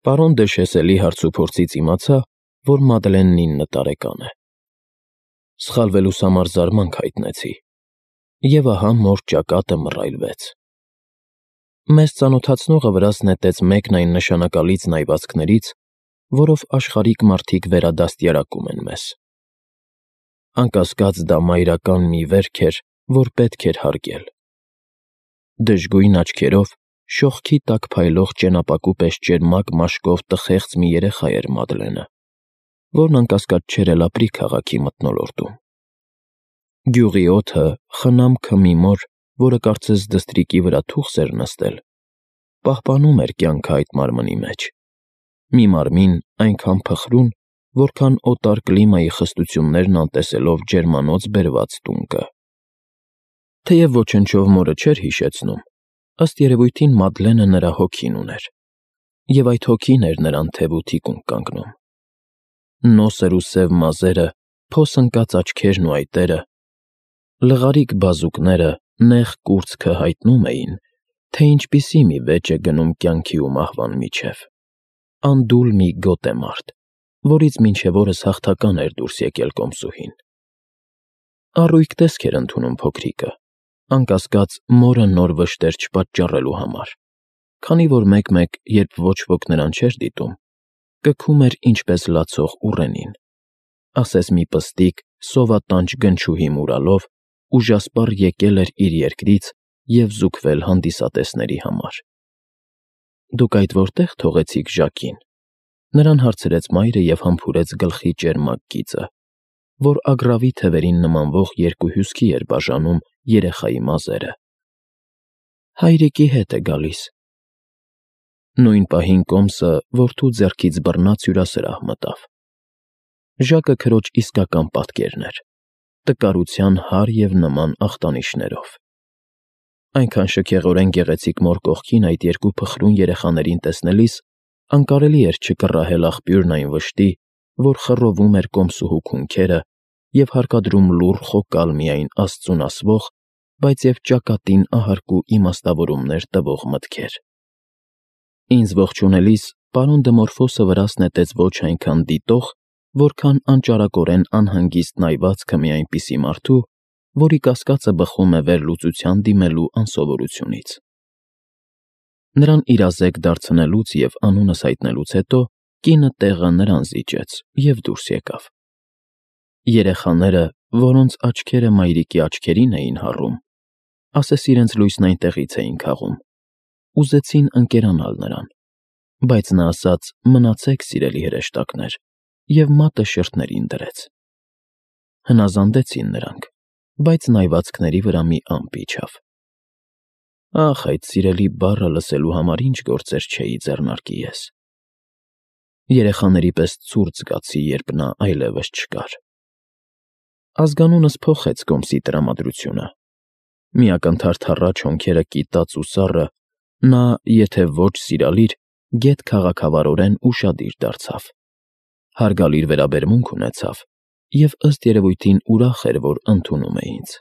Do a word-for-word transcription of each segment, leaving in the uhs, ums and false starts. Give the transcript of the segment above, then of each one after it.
Պարոն դե Շեսելի հարցուփորձից իմացա, որ Մադլենն ինը տարեկան է։ Սխալվելուս համար զարմանք հայտնեցի, և ահա մոր ճակատը մռայլվեց։ Մեզ ծանոթացնողը վրաս նետեց մեկն այն նշանակալից նայվածքներից, որով աշխարհիկ մարդիկ վերադաստիարակում են մեզ։ Անկասկած դա մայրական մի վերք էր, որ պետք էր հարգել։ Դժգույն աչքերով, շողքի տակ փայլող ճենապակու պես ճերմակ մաշկով տխեղծ մի երեխա էր Մադլենը, որն անկասկած չէր էլ ապրի քաղաքի մթնոլորտում։ Գյուղի օդը, խնամքը մի մոր, որը կարծես դստրիկի վրա թուխս էր նստել, պահպանում էր կյանքը այդ մարմնի մեջ, մի մարմին այնքան փխրուն, որքան օտար կլիմայի խստություններն անտեսելով ջերմանոց բերված տունկը։ Թեև ոչնչով մորը չէր հիշեցնում, ըստ երևույթին Մադլենը նրա հոգին ուներ, և այդ հոգին էր նրան թև ու թիկունք կանգնում։ Նոսր ու սև մազերը, փոս ընկած աչքերն ու այտերը, լղարիկ բազուկները, նեղ կուրծքը հայտնում էին, թե ինչպիսի մի վեճ է գնում կյանքի ու մահվան միջև։ Անդուլ մի գոտ է մարդ, որից մինչև օրս հաղթական էր դուրս եկել կոմսուհին։ Առույգ տեսք էր ընդունում փոքրիկը, անկասկած մորը նոր վշտեր չպատճառելու համար, քանի որ մեկ֊մեկ, երբ ոչ ոք նրան չէր դիտում, կգում էր ինչպես լացող ուռենին, ասես մի պստիկ, սովատանչ գնչուհի մուրալով, ուժասպառ եկել էր իր երկրից և զուգվել հանդիսատեսների համար։ Դուք այդ որտե՞ղ թողեցիք Ժակին, նրան հարցրեց մայրը և համբուրեց գլխի ճերմակ գիծը, որ ագռավի թևերին նմանվող երկու հյուսքի էր բաժանում երեխայի մազերը։ Հայրիկի հետ է գալիս։ Նույն պահին կոմսը որդու ձեռքից բռնած հյուրասրահ մտավ։ Ժակը քրոջ իսկական պատկերն էր, տկարության հարր և նման ախտանիշներով։ Այնքան շքեղորեն գեղեցիկ մոր կողքին այդ երկու փխրուն երեխաներին տեսնելիս անկարելի էր չկռահել աղբյուրն այն վշտի, որ խռովում էր կոմսուհու քունքերը և հարկադրում լուռ խոկալ միայն Աստծուն ասվող, բայց և ճակատին ահարկու իմաստավորումներ տվող մտքեր։ Ինձ ողջունելիս պարոն Դմորֆոսը վրաս նետեց ոչ այնքան դիտող, որքան անճարակորեն անհանգիստ նայվածքը մի այնպիսի մարդու, որի կասկածը բխում է վերլուծության դիմելու անսովորությունից։ Նրան իրազեկ դարձնելուց և անունս հայտնելուց հետո կինը տեղը նրան զիջեց և դուրս եկավ։ Երեխաները, որոնց աչքերը մայրիկի աչքերին էին հառում, ասես իրենց լույսն այնտեղից էին քաղում, ուզեցին ընկերանալ նրան, բայց նա ասաց. «Մնացեք, սիրելի հրեշտակներ», և մատը շրթերին դրեց։ Հնազանդեցին նրանք, բայց նայվածքների վրա մի ամպ իջավ։ Ախ, այդ սիրելի բառը լսելու համար ինչ գործեր չէի ձեռնարկի ես։ Երեխաների պես ցուրտ զգացի, երբ նա այլևս չկար։ Ազգանունս փոխեց կոմսի տրամադրությունը։ Մի ակնթարթ հառաչ հոնքերը կիտած ու սառը, նա, եթե ոչ սիրալիր, գեթ քաղաքավարորեն ուշադիր դարձավ, հարգալիր վերաբերմունք ունեցավ և ըստ երևույթին ուրախ էր, որ ընդունում է ինձ։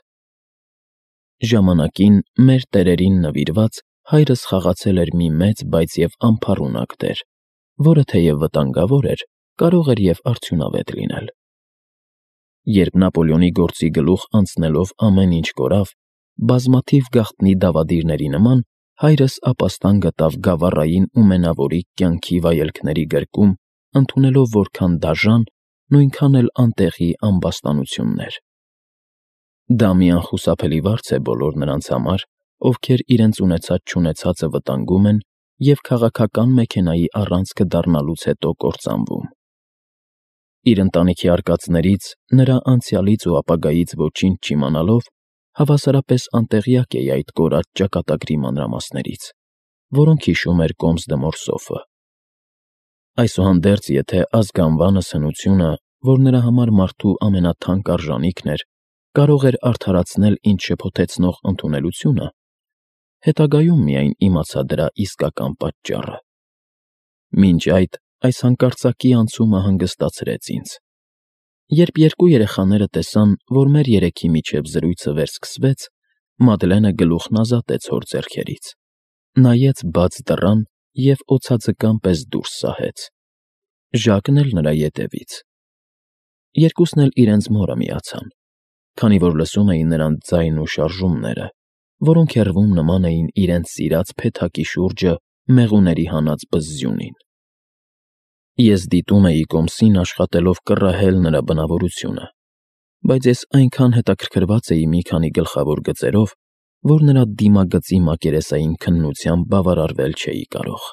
Ժամանակին մեր տերերին նվիրված հայրս խաղացել էր մի մեծ, բայց և անփառունակ դեր, որը թեև վտանգավոր էր, կարող էր և արդյունավետ լինել։ Երբ Նապոլեոնի գործի գլուխ անցնելով ամեն ինչ կորավ, բազմաթիվ գաղտնի դավադիրների նման հայրս ապաստան գտավ գավառային ու մենավորիկ կյանքի վայելքների գրկում, ընդունելով որքան դաժան, նույնքան էլ անտեղի ամբաստանություններ։ Դա մի անխուսափելի վարձ է բոլոր նրանց համար, ովքեր իրենց ունեցած֊չունեցածը վտանգում են և քաղաքական մեքենայի առանցքը դառնալուց հետո կործանվում։ Իր ընտանիքի արկածներից, նրա անցյալից ու ապագայից ոչինչ չիմանալով, հավասարապես անտեղյակ էի այդ կորած ճակատագրի մանրամասներից, որոնք հիշում էր կոմս Դմորսոֆը։ Այսուհանդերձ, եթե ազգանվանս հնությունը, որ նրա համար մարդու ամենաթանկ արժանիքն էր, կարող էր արդարացնել ինձ շփոթեցնող ընդունելությունը, հետագայում միայն իմացա դրա իսկական պատճառը։ Մինչ այդ այս հանկարծակի անցումը հանգստացրեց ինձ։ Երբ երկու երեխաները տեսան, որ մեր երեքի միջև զրույցը վերսկսվեց, Մադլենը գլուխն ազատեց հոր ձեռքերից, նայեց բաց դռան և օձաձկան պես դուրս սահեց։ Ժակն էլ նրա ետևից։ Երկուսն էլ իրենց մորը միացան, քանի որ լսում էին նրանց ձայնն ու շարժումները, որոնք հեռվում նման էին իրենց սիրած փեթակի շուրջը մեղուների հանած բզզյունին։ Ես դիտում էի կոմսին աշխատելով կռահել նրա բնավորությունը, բայց ես այնքան հետաքրքրված էի մի քանի գլխավոր գծերով, որ նրա դիմագծի մակերեսային քննությամբ բավարարվել չէի կարող։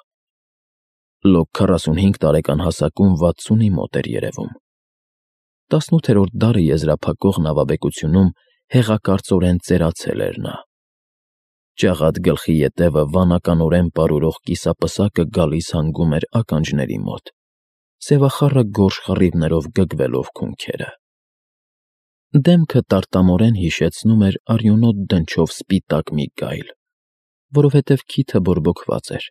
Լոկ քառասունհինգ տարեկան հասակում վաթսունի մոտ էր երևում։ Տասնութերորդ դարը եզրափակող նավաբեկությունում հեղակարծորեն ծերացել էր նա։ Ճաղատ գլխի ետևը վանականորեն պարուրող կիսապսակը գալիս հանգում էր ականջների մոտ, սևախառը գորշ խռիվներով գգվելով քունքերը։ Դեմքը տարտամորեն հիշեցնում էր արյունոտ դնչով սպիտակ մի գայլ, որովհետև քիթը բորբոքված էր,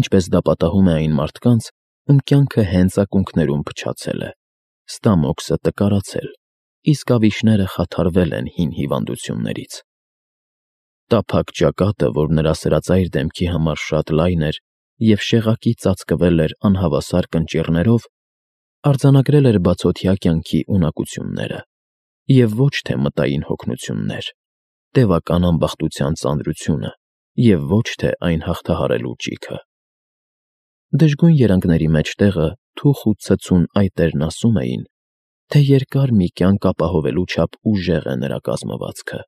ինչպես դա պատահում է այն մարդկանց, ում կյանքը հենց ակունքներում փչացել է, ստամոքսը տկարացել, իսկ ավիշները խաթարվել են հին հիվանդություններից։ Տափակ ճակատը, որ նրա սրածայր դեմքի համար շատ լայն էր և շեղակի ծածկվել էր անհավասար կնճիռներով, արձանագրել էր բացօթյա կյանքի ունակությունները և ոչ թե մտային հոգնություններ, տևական ամբախտության ծանրությունը և ոչ թե այն հաղթահարելու ճիգը։ Դժգույն երանգների մեջտեղը թուխ ու ցցուն այտերն ասում էին, թե երկար մի կյանք ապահովելու չափ ուժեղ է նրա կազմվածքը։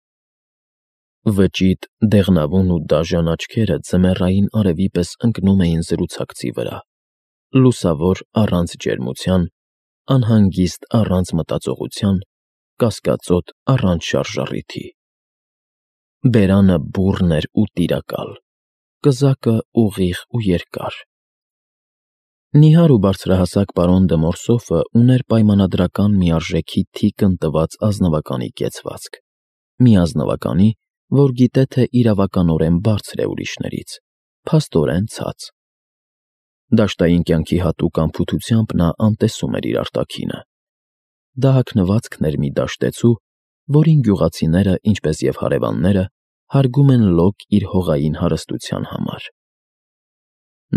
Վճիտ, դեղնավուն ու դաժան աչքերը ձմեռային արևի պես ընկնում էին զրուցակցի վրա, լուսավոր առանց ջերմության, անհանգիստ առանց մտածողության, կասկածոտ առանց շարժառիթի։ Բերանը բուռն էր ու տիրակալ, կզակը ուղիղ ու երկար։ Նիհար ու բարձրահասակ պարոն դը Մորսոֆը ուներ պայմանադրական միարժեքի թիկն տված ազնվականի կեցվածք, մի ազնվականի, որ գիտե թե իրավականորեն բարձր է ուրիշներից, փաստորեն ցած։ Դաշտային կյանքի հատուկ անփութությամբ նա անտեսում էր իր արտաքինը։ Դա հագնվածքն էր մի դաշտեցու, որին գյուղացիները, ինչպես և հարևանները, հարգում են լոկ իր հողային հարստության համար։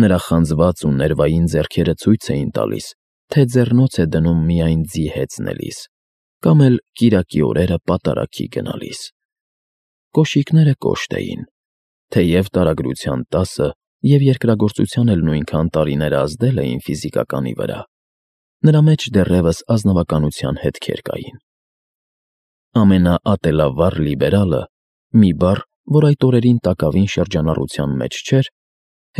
Նրա խանձված ու ներվային ձեռքերը ցույց էին տալիս, թե ձեռնոց է դնում միայն ձի հեծնելիս, կամ էլ կիրակի օրերը պատարագի գնալիս։ Կոշիկները կոշտ էին, թեև տարագրության տասը և երկրագործության էլ նույնքան տարիները ազդել էին ֆիզիկականի վրա, նրա մեջ դեռևս ազնվականության հետքեր կային։ Ամենաատելավառ լիբերալը, մի բառ, որ այդ օրերին տակավին շրջանառության մեջ չէր,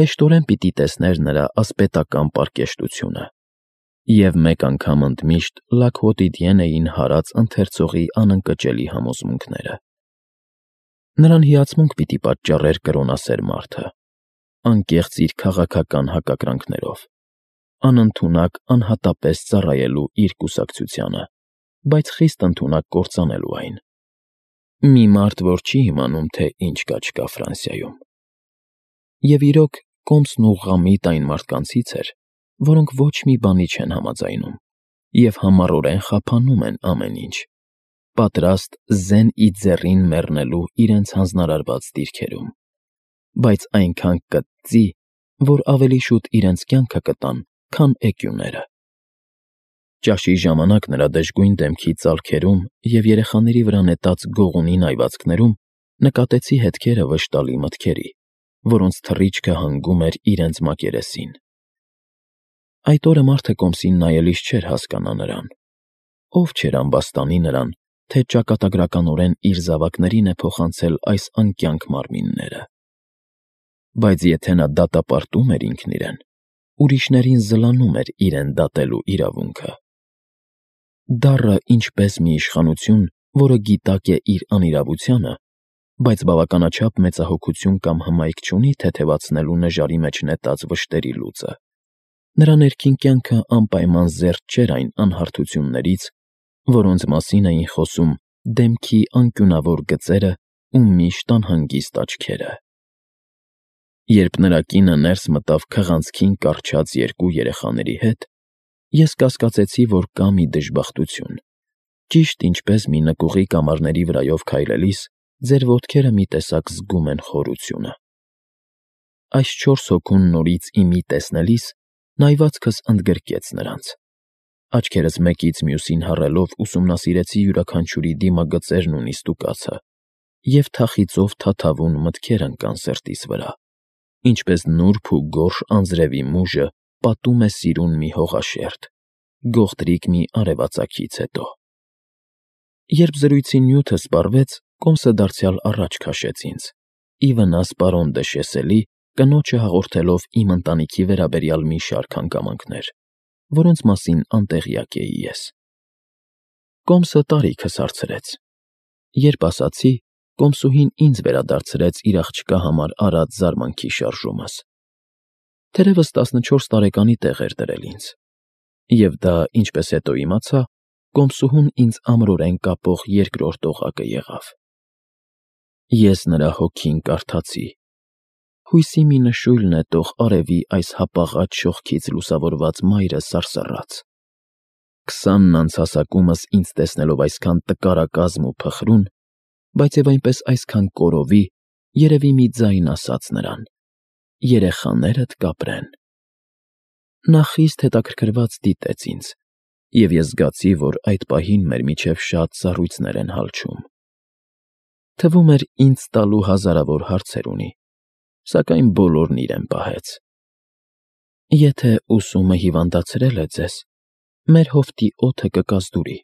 հեշտորեն պիտի տեսներ նրա ասպետական պարկեշտությունը, և մեկ անգամ ընդմիշտ Լաքոտիդիեն էին հարած ընթերցողի անընկճելի համոզմունքները։ Նրան հիացմունք պիտի պատճառեր կրոնասեր մարդը, անկեղծ իր քաղաքական հակակրանքներով, անընդունակ անհատապես ծառայելու իր կուսակցությանը, բայց խիստ ընդունակ կործանելու այն։ Մի մարդ, որ չի իմանում, թե ինչ կա չկա Ֆրանսիայում։ Եվ իրոք, կոմսն ու Ղամիտ այն մարդկանցից էր, որոնք ոչ մի բանի չեն համաձայնում և համառորեն խափանում են ամեն ինչ, պատրաստ զեն ի ձեռին մեռնելու իրենց հանձնարարված դիրքերում, բայց այնքան կծծի, որ ավելի շուտ իրենց կյանքը կտան, քան էկյուները։ Ճաշի ժամանակ նրա դժգույն դեմքի ծալքերում և երեխաների վրա նետած գողունի նայվածքներում նկատեցի հետքերը վշտալի մտքերի, որոնց թռիչքը հանգում էր իրենց մակերեսին։ Այդ օրը մարդը կոմսին նայելիս չէր հասկանա նրան, ով չէր ամբաստանի նրան, թե ճակատագրականորեն իր զավակներին է փոխանցել այս անկյանք մարմինները։ Բայց եթե նա դատապարտում էր ինքն իրեն, ուրիշներին զլանում էր իրեն դատելու իրավունքը։ Դառը ինչպես մի իշխանություն, որը գիտակ է իր անիրավությանը, բայց բավականաչափ մեծահոգություն կամ հմայք չունի թեթևացնելու նժարի մեջ նետած վշտերի լուծը, նրա ներքին կյանքը անպայման զերծ չէր այն անհարթություններից, որոնց մասին էին խոսում դեմքի անկյունավոր գծերը ու միշտ անհանգիստ աչքերը։ Երբ նրա կինը ներս մտավ քղանցքին կառչած երկու երեխաների հետ, ես կասկածեցի, որ կա մի դժբախտություն, ճիշտ ինչպես մի նկուղի կամարների վրայով քայլելիս ձեր ոտքերը մի տեսակ զգում են խորությունը։ այս չորս հոգուն նորից ի մի տեսնելիս նայվածքս ընդգրկեց նրանց. աչքերս մեկից մյուսին հառելով ուսումնասիրեցի յուրաքանչյուրի դիմագծերն ու նիստուկացը, և թախիծով թաթավուն մտքեր ընկան սրտիս վրա, ինչպես նուրբ ու գորշ անձրևի մուժը պատում է սիրուն մի հողաշերտ, գողտրիկ մի արևածագից հետո։ Երբ զրույցի նյութը սպառվեց, կոմսը դարձյալ առաջ քաշեց ինձ, ի վնաս պարոն դը Շեսելի, կնոջը հաղորդելով իմ ընտանիքի վերաբերյալ մի շարք հանգամանքներ, որոնց մասին անտեղյակ էի ես։ Կոմսը տարիքս հարցրեց. երբ ասացի, կոմսուհին ինձ վերադարձրեց իր աղջկա համար արած զարմանքի շարժումս։ Թերևս տասնչորս տարեկանի տեղ էր դրել ինձ, և դա, ինչպես հետո իմացա, կոմսուհուն ինձ ամրորեն կապող երկրորդ օղակը եղավ։ Ես նրա հոգին կարդացի. հույսի մի նշույլ նետող արևի այս հապաղած շողքից լուսավորված մայրը սարսռաց։ Քսանն անց հասակումս ինձ տեսնելով այսքան տկարակազմ ու փխրուն, բայց և այնպես այսքան կորովի, երևի մի ձայն ասաց նրան. երեխաներդ կապրեն։ Նա խիստ հետաքրքրված դիտեց ինձ, և ես զգացի, որ այդ պահին մեր միջև շատ սառույցներ են հալչում։ Թվում էր ինձ տալու հազարավոր հարցեր ունի, սակայն բոլորն իրեն պահեց։ Եթե ուսումը հիվանդացրել է ձեզ, մեր հովտի օդը կկազդուրի,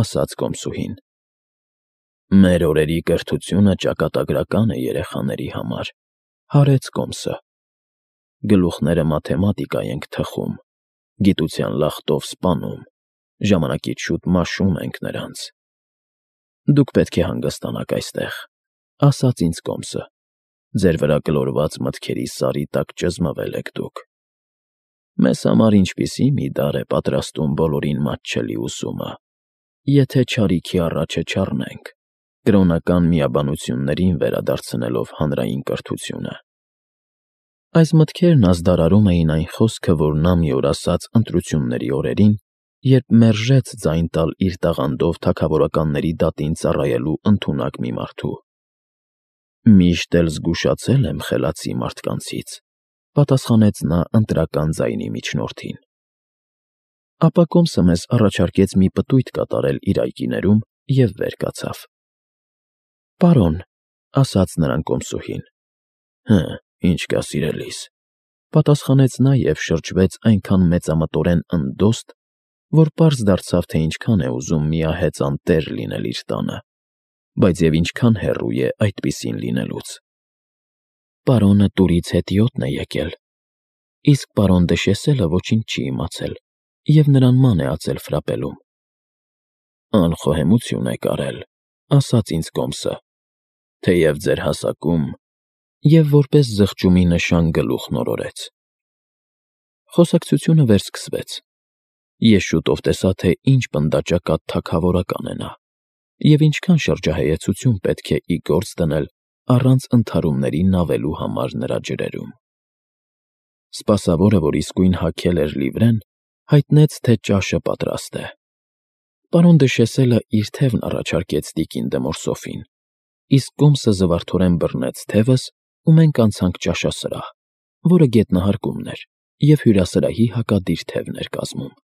ասաց կոմսուհին։ Մեր օրերի կրթությունը ճակատագրական է երեխաների համար, հարեց կոմսը։ Գլուխները մաթեմատիկա ենք թխում, գիտության լախտով սպանում, ժամանակից շուտ մաշում ենք նրանց։ Դուք պետք է հանգստանաք այստեղ, ասաց ինձ կոմսը, ձեր վրա գլորված մտքերի սարի տակ ճզմվել եք դուք։ Մեզ համար ինչպիսի մի դար է պատրաստում բոլորին մատչելի ուսումը, եթե չարիքի առաջը չառնենք, կրոնական միաբանություններին վերադարձնելով հանրային կրթությունը։ Այս մտքերն ազդարարում էին այն խոսքը, որ նա մի օր ասաց ընտրությունների օրերին, երբ մերժեց ձայն տալ իր տաղանդով թագավորականների դատին ծառայելու ընդունակ մի մարդու։ Միշտ էլ զգուշացել եմ խելացի մարդկանցից, պատասխանեց նա ընտրական ձայնի միջնորդին։ Ապա կոմսը մեզ առաջարկեց մի պտույտ կատարել իր այգիներում և վեր կացավ։ Պարոն, ասաց նրան կոմսուհին։ Հը, ինչ կա սիրելիս, պատասխանեց նա և շրջվեց այնքան մեծամտորեն ընդդոստ, որ պարզ դարձավ, թե ինչքան է ուզում միահեծան տեր լինել իր տանը, բայց և ինչքան հեռու է այդպիսին լինելուց։ Պարոնը տուրից հետիոտն է եկել, իսկ պարոն դը Շեսելը ոչինչ չի իմացել և նրան ման է ածել ֆրապելում։ Անխոհեմություն եք արել, ասաց ինձ կոմսը, թեև ձեր հասակում, և որպես զղջումի նշան գլուխն օրորեց։ Խոսակցությունը վերսկսվեց։ Ես շուտով տեսա, թե ինչ պնդաճակատ թագավորական է նա, և ինչքան շրջահայեցություն պետք է ի գործ դնել առանց ընդհարումների նավելու համար նրա ջրերում։ Սպասավորը, որ իսկույն հագել էր լիվրեն, հայտնեց, թե ճաշը պատրաստ է։ Պարոն դը Շեսելը իր թևն առաջարկեց տիկին դը Մորսոֆին, իսկ կոմսը զվարթորեն բռնեց թևս, ու մենք անցանք ճաշասրահ, որը գետնահարկումն էր և հյուրասրահի հակադիր թևն էր կազմում։